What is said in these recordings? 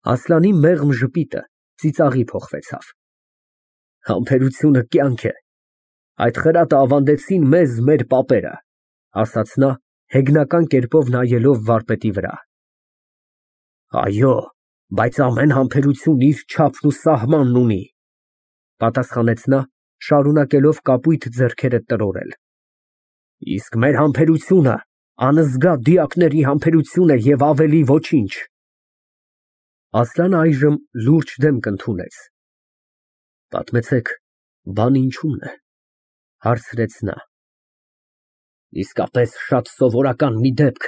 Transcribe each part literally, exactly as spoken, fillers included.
Ասլանի մեղմ ժպիտը ծիծաղի փոխվեցավ։ Համբերությունը կյանք է, այդ խրատը ավանդեցին մեզ մեր պապերը, ասաց նա, հեգնական կերպով նայելով վարպետի վրա։ Այո, բայց ամեն համբերություն իր չափն ու սահմանն ունի, պատասխանեց նա, շարունակելով կապույտ ձեռքերը տրորել։ Իսկ մեր համբերությունը անզգա դիակների համբերություն է և ավելի ոչինչ։ Ասլանը այժմ լուրջ դեմք ընդունեց։ Պատմեցեք, բանը ինչու՞մն է, հարցրեց նա։ Իսկապես շատ սովորական մի դեպք,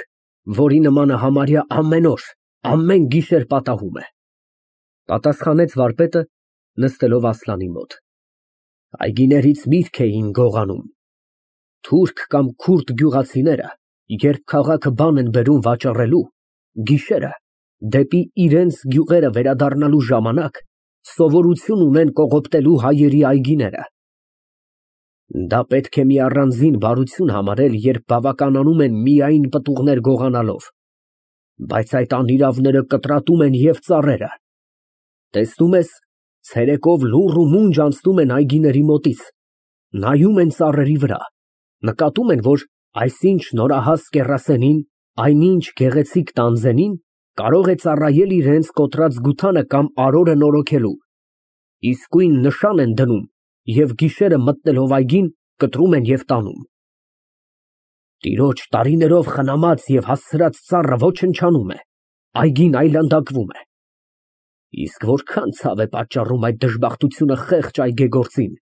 որի նմանը համարյա ամեն օր, ամեն գիշեր պատահում է, պատասխանեց վարպետը, նստելով Ասլանի մոտ։ Այգիներից միրգ էին գողանում։ Թուրք կամ քուրդ գյուղացիները, երբ քաղաքը բան են բերում վաճառելու, գիշերը, դեպի իրենց գյուղերը վերադառնալու ժամանակ, սովորություն ունեն կողոպտելու հայերի այգիները։ Դա պետք է մի առանձին բարություն համարել, երբ բավականանում են միայն պտուղներ գողանալով, բայց այդ անիրավները կտրատում են և ծառերը։ Տեսնում ես, ցերեկով լուռ ու մունջ անցնում են այգիների մոտից, նայում են ծառերի վրա, նկատում են, որ այսինչ նորահաս կեռասենին, այնինչ գեղեցիկ տանձենին կարող է ծառայել իրենց կոտրած գութանը կամ արորը նորոգելու, իսկույն նշան են դնում և գիշերը մտնելով այգին կտրում են և տանում։ Տիրոջ տարիներով խնամած և հասցրած ծառը ոչնչանում է, այգին այլանդակվում է։ Իսկ որքան ցավ է պատճառում այդ դժբախտությունը խեղճ այգեգործին։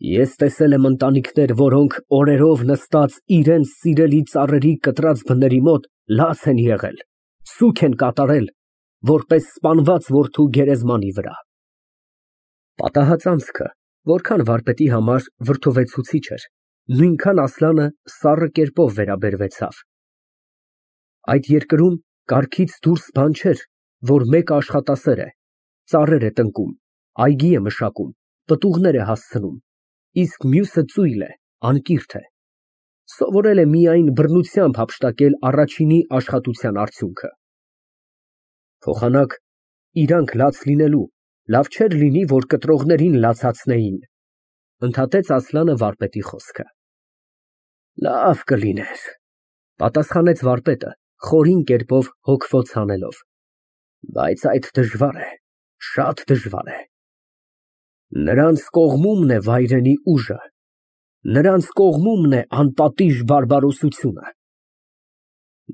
Ես տեսել եմ ընտանիքներ, որոնք օրերով նստած իրենց սիրելի ծառերի կտրած բների մոտ լաց են եղել, սուգ են կատարել, որպես սպանված որդու գերեզմանի վրա։ Պատահած անցքը, որքան վարպետի համար վրդովեցուցիչ էր, նույնքան Ասլանը սառը կերպով վերաբերվեցավ։ Այդ երկրում կարգից դուրս բան չէր, որ մեկը աշխատասեր է, ծառեր է տնկում, այգի է մշակում, պտուղներ է հասցնում, իսկ մյուսը ծույլ է, անկիրթ է, սովորել է միայն բռնությամբ հափշտակել առաջինի աշխատության արդյունքը։ Փոխանակ, իրանք լաց լինելու, լավ չէր լինի, որ կտրողներին լացացնեին, ընդհատեց Ասլանը վարպետի խոսքը։ Լավ կլիներ, պատասխանեց վարպետը, խորին կերպով հոգվոց հանելով, բայց այդ դժվար է, շատ դժվար է։ Նրանց կողմումն է վայրենի ուժը, նրանց կողմումն է անպատիժ բարբարոսությունը։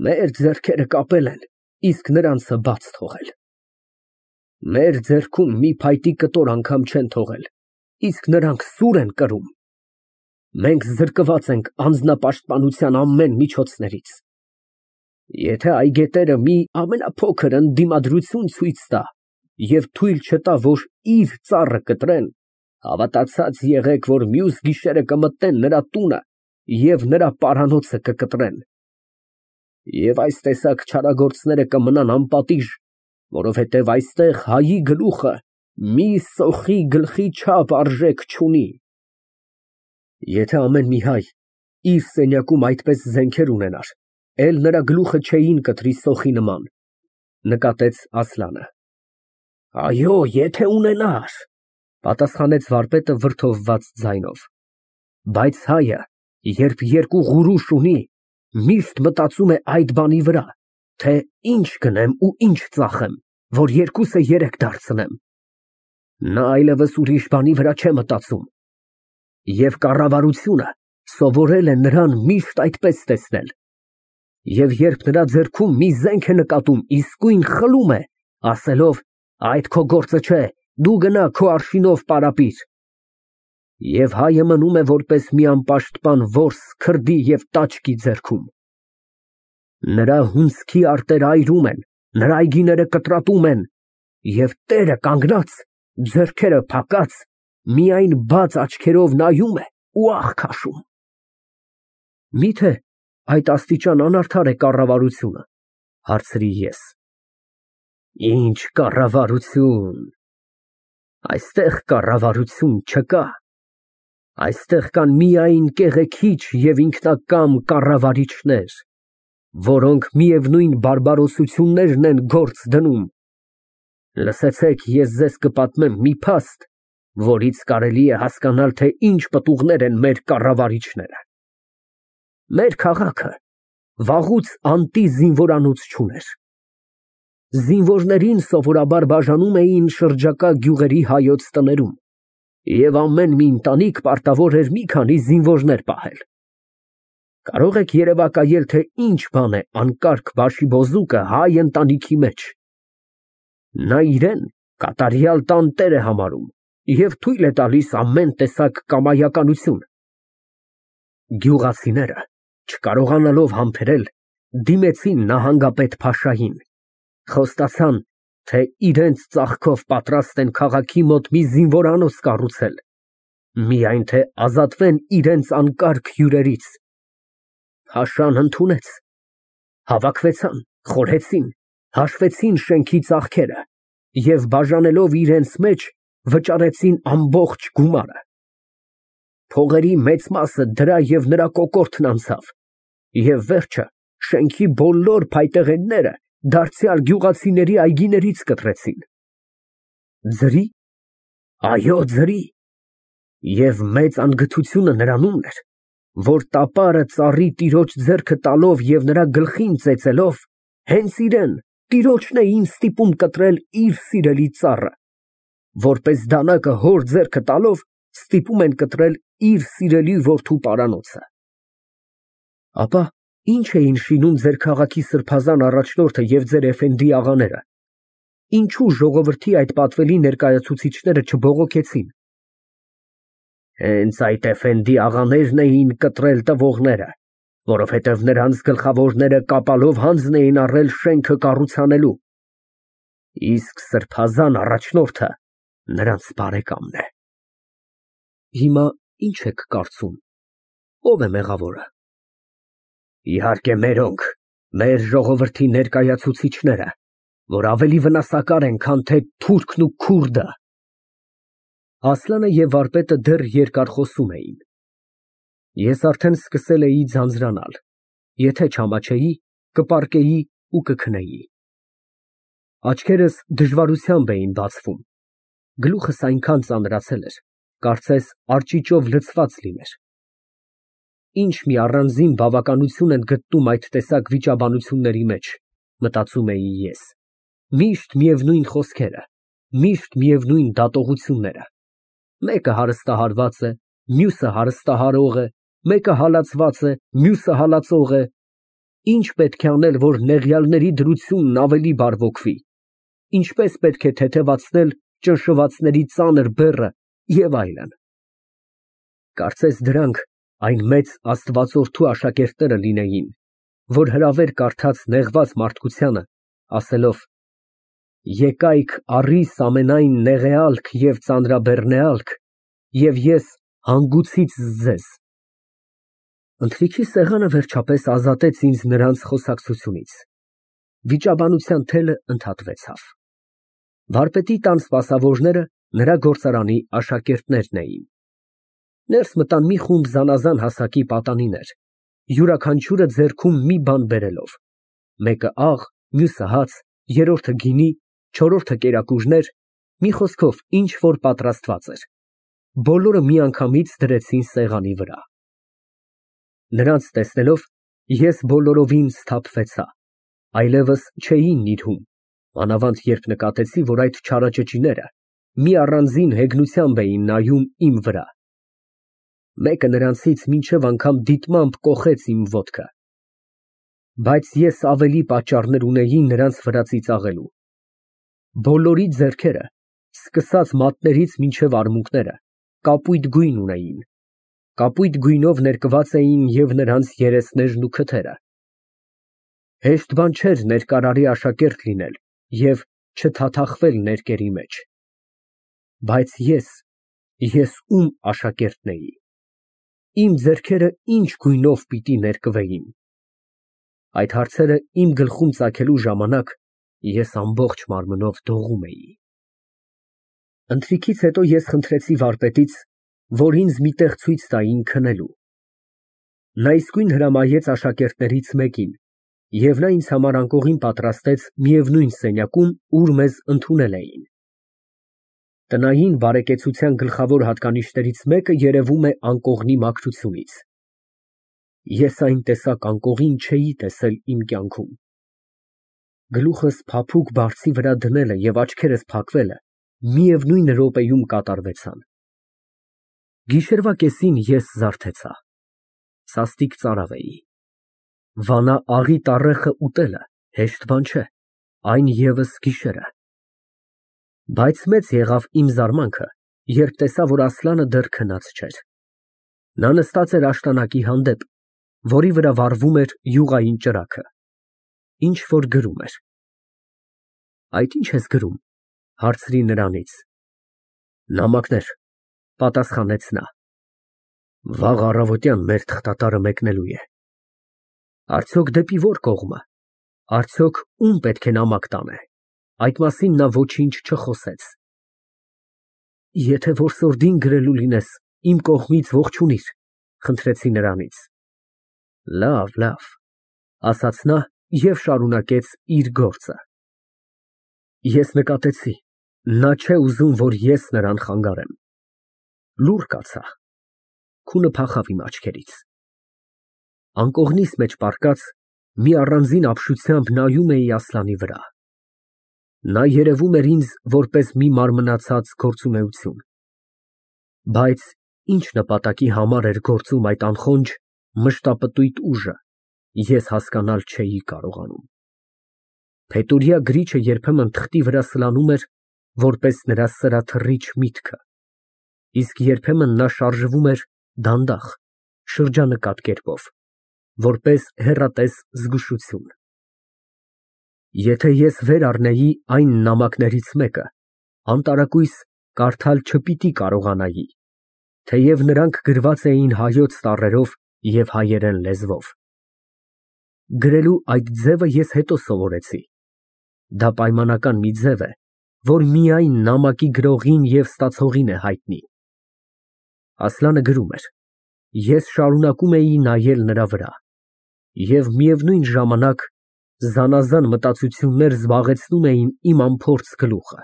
Մեր ձեռքերը կապել են, իսկ նրանցը բաց թողել։ Մեր ձեռքում մի փայտի կտոր անգամ չեն թողել, իսկ նրանք սուր են կրում։ Մենք զրկված ենք անձնապաշտպանության ամեն միջոցներից։ Եթե այգետերը մի ամենափոքր ընդդիմադրություն ցույց տա և թույլ չտա, որ իր ծառը կտրեն, հավատացած եղեք, որ մյուս գիշերը կմտնեն նրա տունը և նրա պարանոցը կկտրեն։ Եվ այս տեսակ չարագործները կմնան անպատիժ, որովհետև այստեղ հայի գլուխը մի սոխի գլխի չափ արժեք չունի։ Եթե ամեն մի հայ իր սենյակում այդպես զենքեր ունենար, էլ նրա գլուխը չէին կտրի սոխի նման, նկատեց Ասլանը։ Այո, եթե ունենար, պատասխանեց վարպետը վրդովված ձայնով, բայց հայը, երբ երկու ղուրուշ ունի, միշտ մտածում է այդ բանի վրա, թե ինչ գնեմ ու ինչ ծախեմ, որ երկուսը երեք դարձնեմ։ Նա այլևս ուրիշ բանի վրա չէ մտածում։ Եվ կառավարությունը սովորել է նրան միշտ այդպես տեսնել։ Եվ երբ նրա ձեռքում մի զենք է նկատում, իսկույն խլում է, ասելով. այդ քո գործը չէ, դու գնա քո արշինով պարապիր։ Եվ հայը մնում է որպես մի անպաշտպան որս քրդի և տաճկի ձեռքում։ Նրա հունձքի արտերը այրում են, նրա այգիները կտրատում են, և տերը կանգնած, ձեռքերը փակած, միայն բաց աչքերով նայում է ու ահ քաշում։ Միթե այդ աստիճան անարդար է կառավարությունը, հարցրի ես։ Ինչ կառավարություն։ Այստեղ կառավարություն չկա։ Այստեղ կան միայն կեղեքիչ և ինքնակամ կառավարիչներ, որոնք միևնույն բարբարոսություններն են գործ դնում, Լսեցեք, ես ձեզ կպատմեմ մի փաստ, որից կարելի է հասկանալ, թե ինչ պտուղներ են մեր կառավարիչները։ Մեր քաղաքը վաղուց անտի զինվորանոց չուներ։ Զինվորներին սովորաբար բաժանում էին շրջակա գյուղերի հայոց տներում, և ամեն մի ընտանիք պարտավոր էր մի քանի զինվորներ պահել։ Կարող եք երևակայել, թե ինչ բան է անկարգ բաշիբոզուկը հայ ընտանիքի մեջ։ Նա իրեն կատարյալ տանտեր է համարում և թույլ է տալիս ամեն տեսակ կամայականություն։ Գյուղացիները, չկարողանալով համբերել, դիմեցին նահանգապետ փաշային, խոստացան, թե իրենց ծախքով պատրաստ են քաղաքի մոտ մի զինվորանոց կառուցել, միայն թե ազատվեն իրենց անկարգ հյուրերից։ Փաշան ընդունեց, հավաքվեցան, խորհեցին, հաշվեցին շենքի ծախքերը և բաժանելով իրենց մեջ վճարեցին ամբողջ գումարը։ Փողերի մեծ մասը դրա և նրա կոկորդն անցավ, և վերջը շենքի բոլոր փայտեղենները դարձյալ գյուղացիների այգիներից կտրեցին։ Ձրի, այո, ձրի, և մեծ անգթությունը նրանում էր, որ տապարը ծառի տիրոջ ձեռքը տալով և նրա գլխին ծեծելով, հենց իրեն, տիրոջն էին ստիպում կտրել իր սիրելի ծառը, որպես դանակը հոր ձեռքը տալով ստիպում են կտրել իր սիրելի որդու պարանոցը։ Ապա ի՞նչ էին շինում ձեր քաղաքի սրբազան առաջնորդը և ձեր էֆենդի աղաները, ինչո՞ւ ժողովրդի այդ պատվելի ներկայացուցիչները չբողոքեցին։ Հենց այդ էֆենդի աղաներն էին կտրել տվողները, որովհետև նրանց գլխավորները կապալով հանձն էին առել շենքը կառուցանելու, իսկ սրբազան առաջնորդը նրանց բարեկամն է։ Հիմա ի՞նչ եք կարծում, ո՞վ է մեղավորը։ Իհարկե մերոնք, մեր ժողովրդի ներկայացուցիչները, որ ավելի վնասակար են, քան թե թուրքն ու քուրդը։ Ասլանը և վարպետը դեռ երկար խոսում էին։ Ես արդեն սկսել էի ձանձրանալ, եթե չամաչեի, կպառկեի ու կքնեի։ Աչքերս դժվարությամբ էին բացվում, գլուխս այնքան ծանրացել էր, կարծես արճիճով լցված լիներ։ Ինչ մի առանձին բավականություն են գտնում այդ տեսակ վիճաբանությունների մեջ, մտածում էի ես, միշտ միևնույն խոսքերը, միշտ միևնույն դատողությունները, մեկը հարստահարված է, մյուսը հարստահարող է, մեկը հալածված է, մյուսը հալածող է, ինչ պետք է անել, որ նեղյալների դրությունն ավելի բարվոքվի, ինչպես պետք է թեթևացնել ճնշվածների ծանր բեռը և այլն։ Կարծես դրանք այն մեծ աստվածորդու աշակերտները լինեին, որ հրավեր կարդաց նեղված մարդկությանը, ասելով. «Եկայք առիս ամենայն նեղեալք և ծանրաբեռնեալք, և ես հանգուցից ձեզ»։ Ընթրիքի սեղանը վերջապես ազատեց ինձ նրանց խոսակցությունից։ Վիճաբանության թելը ընդհատվեցավ։ Վարպետի տան սպասավորները նրա գործարանի աշակերտներն էին։ Ներս մտան մի խումբ զանազան հասակի պատանիներ, յուրաքանչյուրը ձեռքում մի բան բերելով, մեկը աղ, մյուսը հաց, երրորդը գինի, չորրորդը կերակուրներ, մի խոսքով ինչ որ պատրաստված էր, բոլորը միանգամից դրեցին սեղանի վրա։ Նրանց տեսնելով ես բոլորովին սթափվեցա, այլևս չէի նիրհում, մանավանդ երբ նկատեցի, որ այդ չարաճճիները մի առանձին հեգնությամբ էին նայում իմ վրա։ Մեկը նրանցից մինչև անգամ դիտմամբ կոխեց իմ ոտքը, բայց ես ավելի պատճառներ ունեի նրանց վրա ծիծաղելու։ Բոլորի ձեռքերը, սկսած մատներից մինչև արմունկները, կապույտ գույն ունեին, կապույտ գույնով ներկված էին և նրանց երեսներն ու քթերը։ Հեշտ բան չէր ներկարարի աշակերտ լինել և չթաթախվել ներկերի մեջ։ Բայց ես, ես ում աշակերտն էի, իմ ձեռքերը ինչ գույնով պիտի ներկվեին։ Այդ հարցերը իմ գլխում ծագելու ժամանակ ես ամբողջ մարմնով դողում էի։ Ընթրիքից հետո ես խնդրեցի վարպետից, որ ինձ մի տեղ ցույց տային քնելու։ Նա իսկույն հրամայեց աշակերտներից մեկին Եվ նա ինձ համար անկողին պատրաստեց միևնույն սենյակում, ուր մեզ ընդունել էին։ Տնային բարեկեցության գլխավոր հատկանիշներից մեկը երևում է անկողնի մաքրությունից։ Ես այն տեսակ անկողին չէի տեսել իմ կյանքում։ Գլուխս փափուկ բարձի վրա դնելը և աչքերս փակվելը միևնույն րոպեում կատարվեցան։ Գիշերվա կեսին ես զարթեցա, սաստիկ ծարավ էի։ Վանա աղի տառեխը ուտելը հեշտ բան չէ, այն ևս գիշերը։ Բայց մեծ եղավ իմ զարմանքը, երբ տեսա, որ Ասլանը դեռ քնած չէր։ Նա նստած էր աշտանակի հանդեպ, որի վրա վառվում էր յուղային ճրագը, ինչ֊որ գրում էր։ Այդ ի՞նչ ես գրում, հարցրի նրանից։ Նամակներ, պատասխանեց նա։ Վաղ առավոտյան մեր թղթատարը մեկնելու է։ Արդյոք դեպի ո՞ր կողմը, արդյոք ում պետք է նամակ տանե։ Այդ մասին նա ոչինչ չխոսեց։ Եթե որսորդին գրելու լինես, իմ կողմից ողջունիր, խնդրեցի նրանից։ Լավ, լավ, ասաց նա և շարունակեց իր գործը։ Ես նկատեցի, նա չէ ուզում, որ ես նրան խանգարեմ։ Լուռ կացա, քունը փախավ իմ աչքերից։ Անկողնիս մեջ պառկած, մի առանձին ապշությամբ նայում էի Ասլանի վրա։ Նա երևում էր ինձ որպես մի մարմնացած գործունեություն։ Բայց ինչ նպատակի համար էր գործում այդ անխոնջ, մշտապտույտ ուժը, ես հասկանալ չէի կարողանում։ Փետուրյա գրիչը երբեմն թղթի վրա սլանում էր, որպես նրա սրաթռիչ միտքը, իսկ երբեմն նա շարժվում էր դանդաղ, շրջանկատ կերպով, որպես հեռատես զգուշություն։ Եթե ես վեր առնեի այն նամակներից մեկը, անտարակույս կարդալ չպիտի կարողանայի, թեև նրանք գրված էին հայոց տառերով և հայերեն լեզվով։ Գրելու այդ ձևը ես հետո սովորեցի։ Դա պայմանական մի ձև է, որ միայն նամակի գրողին և ստացողին է հայտնի։ Ասլանը գրում էր, ես շարունակում էի նայել նրա վրա, և միևնույն ժամանակ զանազան մտածություններ զբաղեցնում էին իմ անփորձ գլուխը։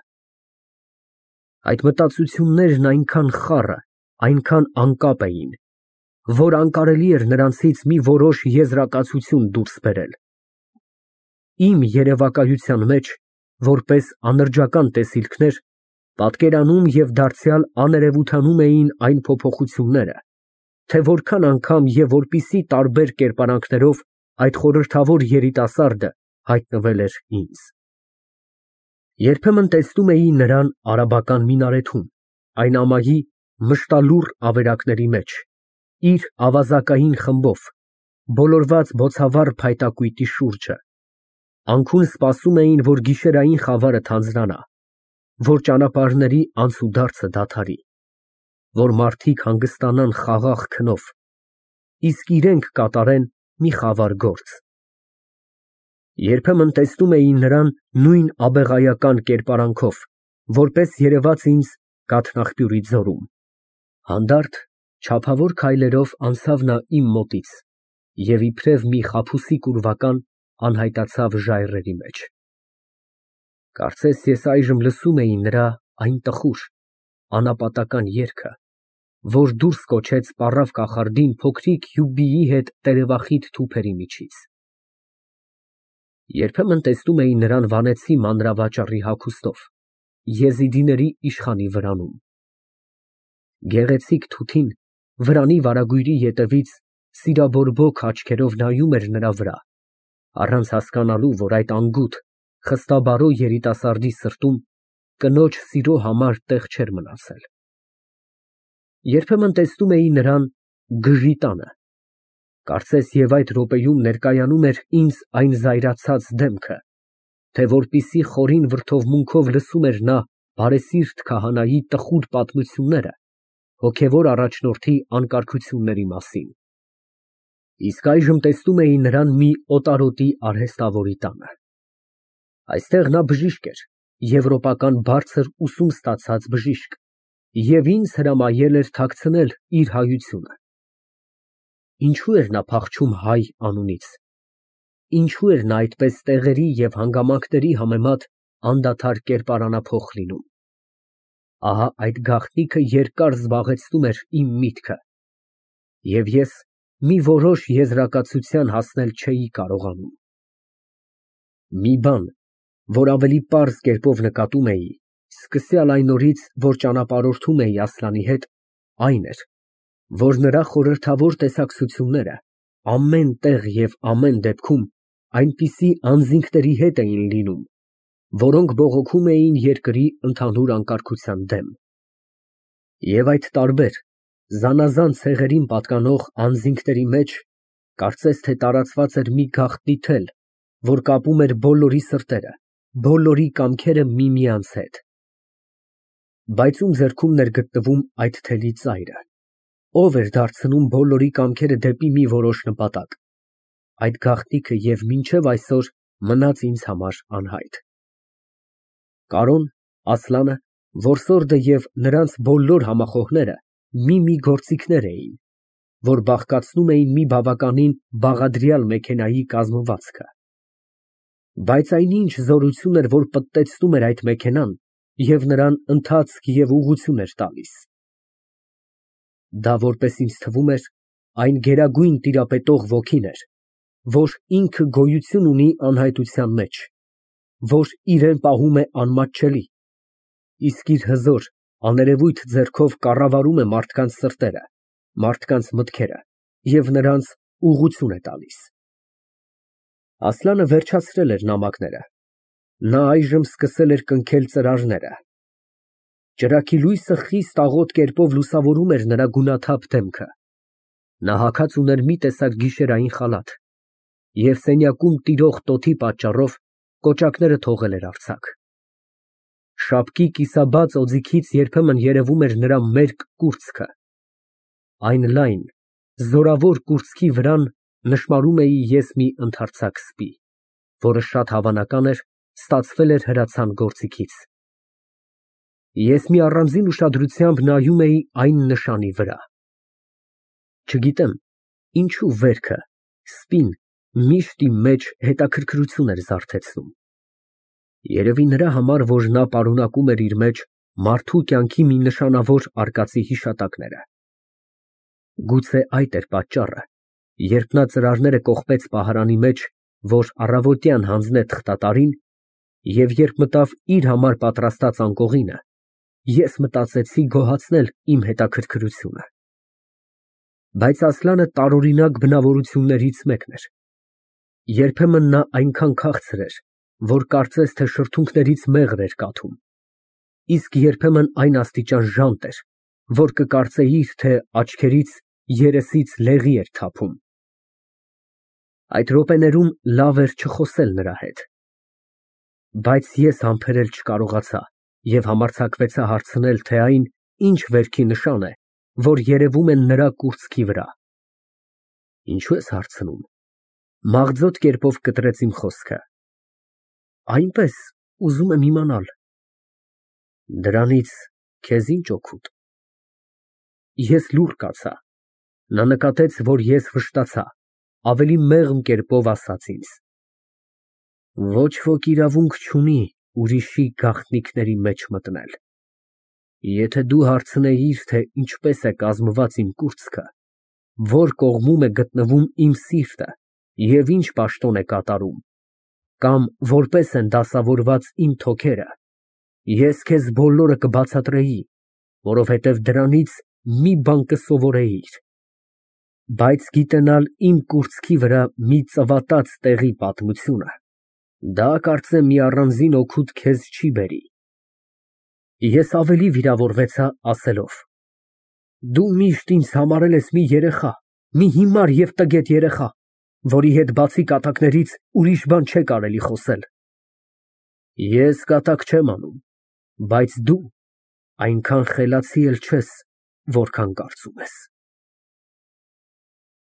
Այդ մտածություններն այնքան խառը, այնքան անկապ էին, որ անկարելի էր նրանցից մի որոշ եզրակացություն դուրս բերել։ Իմ երևակայության մեջ, որպես անրջական տեսիլքներ, պատկերանում և դարձյալ աներևութանում էին այն փոփոխությունները, թե որքան անգամ և որպիսի տարբեր կերպարանքներով այդ խորհրդավոր երիտասարդը հայտնվել էր ինձ։ Երբեմն տեսնում էի նրան արաբական մինարեթում, այն ամայի մշտալուռ ավերակների մեջ, իր ավազակային խմբով, բոլորված բոցավառ փայտակույտի շուրջը, անքուն սպասում էին, որ գիշերային խավարը թանձրանա, որ ճանապարհների անցուդարձը դադարի, որ մարդիկ հանգստանան խաղաղ քնով, իսկ իրենք կատարեն մի խավար գործ։ Երբեմն տեսնում էի նրան նույն աբեղայական կերպարանքով, որպես երևաց ինձ կաթնաղբյուրի ձորում։ Հանդարտ, չափավոր քայլերով անցավ նա իմ մոտից և իբրև մի խաբուսիկ ուրվական անհայտացավ ժայռերի մեջ։ Կարծես ես այժմ լսում էի նրա այն տխուր, անապատական երգը, որ դուրս կոչեց պառավ կախարդին փոքրիկ հյուբիի հետ տերևախիտ թուփերի միջից։ Երբեմն տեսնում էի նրան վանեցի մանրավաճառի հագուստով, եզիդիների իշխանի վրանում։ Գեղեցիկ թութին վրանի վարագույրի ետևից սիրաբորբոք աչքերով նայում էր նրա վրա, առանց հասկանալու, որ այդ անգութ, խստաբարո երիտասարդի սրտում կնոջ սիրո համար տեղ չէր մնացել։ Երբեմն տեսնում էի նրան գժի տանը, կարծես և այդ րոպեում ներկայանում էր ինձ այն զայրացած դեմքը, թե որպիսի խորին վրդովմունքով լսում էր նա բարեսիրտ քահանայի տխուր պատմությունները հոգևոր առաջնորդի անկարգությունների մասին։ Իսկ այժմ տեսնում էի նրան մի օտարոտի արհեստավորի տանը։ Այստեղ նա բժիշկ էր, եվրոպական բարձր ուսում ստացած բժիշկ, և ինձ հրամայել էր թաքցնել իր հայությունը։ Ինչո՞ւ էր նա փախչում հայ անունից։ ինչու էր նա այդպես տեղերի և հանգամանքների համեմատ անդադար կերպարանափոխ լինում։ Ահա այդ գաղտնիքը երկար զբաղեցնում էր իմ միտքը, և ես մի որոշ եզրակացության հասնել չէի կարողանում։ Մի բան, որ ավելի պարզ կերպով նկատում էի, սկսյալ այն օրից, որ ճանապարհորդում էի Ասլանի հետ, այն էր, որ նրա խորհրդավոր տեսակցությունները ամեն տեղ և ամեն դեպքում այնպիսի անձինքների հետ էին լինում, որոնք բողոքում էին երկրի ընդհանուր անկարգության դեմ։ Եվ այդ տարբեր, զանազան ցեղերին պատկանող անձինքների մեջ կարծես թե տարածված էր մի գաղտնի թել, որ կապում էր բոլորի սրտերը, բոլորի կամքերը միմյանց հետ։ Բայց ում ձեռքումն էր գտնվում այդ թելի ծայրը, ով էր դարձնում բոլորի կամքերը դեպի մի որոշ նպատակ, այդ գաղտնիքը և մինչև այսօր մնաց ինձ համար անհայտ։ Կարոն, Ասլանը, որսորդը և նրանց բոլոր համախոհները մի֊մի գործիքներ էին, որ բաղկացնում էին մի բավականին բաղադրյալ մեքենայի կազմվածքը։ Բայց այնինչ զորություն էր, որ պտտեցնում էր այդ մեքենան և նրան ընթացք և ուղղություն էր տալիս։ Դա, որպես ինձ թվում էր, այն գերագույն տիրապետող ոգին էր, որ ինքը գոյություն ունի անհայտության մեջ, որ իրան պահում է անմատչելի, իսկ իր հզոր, աներևույթ ձեռքով կառավարում է մարդկանց սրտերը, մարդկանց մտքերը և նրանց ուղղություն է տալիս։ Ասլանը վերջացրել էր նամակները, նա այժմ սկսել էր կնքել ծրարները։ Ճրագի լույսը խիստ աղոտ կերպով լուսավորում էր նրա գունաթափ դեմքը, նա հագած ուներ մի տեսակ գիշերային խալաթ և սենյակում տիրող տոթի պատճառով կոճակները թողել էր արձակ։ Շապկի կիսաբաց օձիքից երբեմն երևում էր նրա մերկ կուրծքը, այն լայն, զորավոր կուրծքի վրան նշմարում էի ես մի ընդարձակ սպի, որը շատ հավանական էր ստացվել էր հրացան գործիքից։ Ես մի առանձին ուշադրությամբ նայում էի այն նշանի վրա։ Չգիտեմ ինչու վերքը, սպին միշտ իմ մեջ հետաքրքրություն էր զարթեցնում։ Երևի նրա համար, որ նա պարունակում էր իր մեջ մարդու կյանքի մի նշանավոր արկածի հիշատակները։ Գուցե այդ էր պատճառը, երբ նա ծրարները կոխպեց պահարանի մեջ, որ առավոտյան հանձնե թղթատարին, և երբ մտավ իր համար պատրաստած անկողինը, ես մտածեցի գոհացնել իմ հետաքրքրությունը։ Բայց Ասլանը տարօրինակ բնավորություններից մեկն էր. երբեմն նա այնքան քաղցր էր, որ կարծես թե շրթունքներից մեղր էր կաթում, իսկ երբեմն այն աստիճան ժանտ էր, որ կկարծեիր, թե աչքերից, երեսից լեղի էր թափում։ Այդ րոպեներում լավ էր չխոսել նրա հետ։ Բայց ես համբերել չկարողացա և համարձակվեցա հարցնել, թե այն ինչ վերքի նշան է, որ երևում է նրա կուրծքի վրա։ Ինչո՞ւ ես հարցնում, մաղձոտ կերպով կտրեց իմ խոսքը։ Այնպես, ուզում եմ իմանալ։ Դրանից քեզ ի՞նչ օգուտ։ Ես լուռ կացա, նա նկատեց, որ ես վշտացա, ավելի մեղմ կերպով ասաց ինձ. Ոչ ոք իրավունք չունի ուրիշի գաղտնիքների մեջ մտնել։ Եթե դու հարցնեիր, թե ինչպես է կազմված իմ կուրծքը, որ կողմում է գտնվում իմ սիրտը և ինչ պաշտոն է կատարում, կամ որպես են դասավորված իմ թոքերը, ես քեզ բոլորը կբացատրեի, որովհետև դրանից մի բան կսովորեիր, բայց գիտենալ իմ կուրծքի վրա մի ծվատած տեղի պատմությունը, դա կարծեմ մի առանձին օգուտ քեզ չի բերի։ Ես ավելի վիրավորվեցա, ասելով. Դու միշտ ինձ համարել ես մի երեխա, մի հիմար և տգետ երեխա, որի հետ բացի կատակներից ուրիշ բան չէ կարելի խոսել։ Ես կատակ չեմ անում, բայց դու այնքան խելացի էլ չես, որքան կարծում ես։